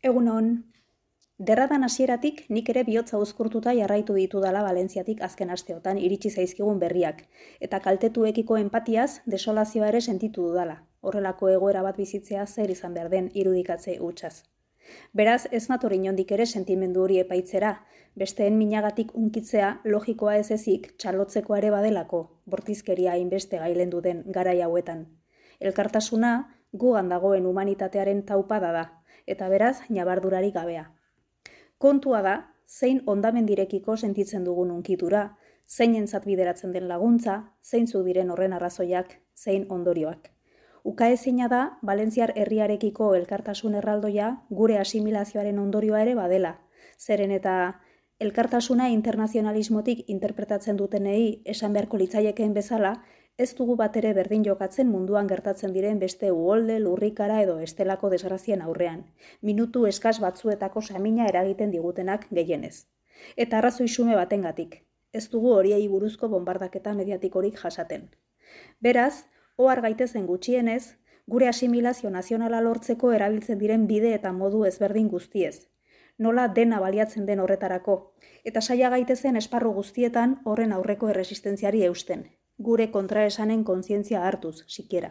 Egunon, derradan hasieratik nik ere bihotza uzkurtuta jarraitu ditudala Valentziatik azken asteotan iritsi zaizkigun berriak, eta kaltetuekiko empatiaz desolazioa ere sentitu dudala, horrelako egoera bat bizitzea zer izan behar den irudikatze hutsaz. Beraz, ez nator inondik ere sentimendu hori epaitzera, besteen minagatik unkitzea logikoa ez ezik txalotzeko ere badelako, bortizkeria hainbeste gailendu den garai hauetan. Elkartasuna gugan dagoen humanitatearen taupada da, eta beraz, ñabardurari gabea. Kontua da, zein hondamendirekiko sentitzen dugun unkitura, zeinentzat bideratzen den laguntza, zeintzuk diren horren arrazoiak, zein ondorioak. Ukaezina da, Valentziar herriarekiko elkartasun erraldoia gure asimilazioaren ondorioa ere badela. Zeren eta elkartasuna internazionalismotik interpretatzen dutenei esan beharko litzaiekeen bezala, ez dugu bat ere berdin jokatzen munduan gertatzen diren beste uholde, lurrikara edo estelako desgrazien aurrean. Minutu eskas batzuetako samina eragiten digutenak gehienez. Eta arrazoi xume batengatik. Ez dugu horiei buruzko bombardaketa mediatikorik jasaten. Beraz, ohar gaitezen gutxienez, gure asimilazio nazionala lortzeko erabiltzen diren bide eta modu ezberdin guztiez. Nola dena baliatzen den horretarako, eta saia gaitezen esparru guztietan horren aurreko erresistentziari eusten. Gure kontraesanen kontzientzia hartuz, sikiera.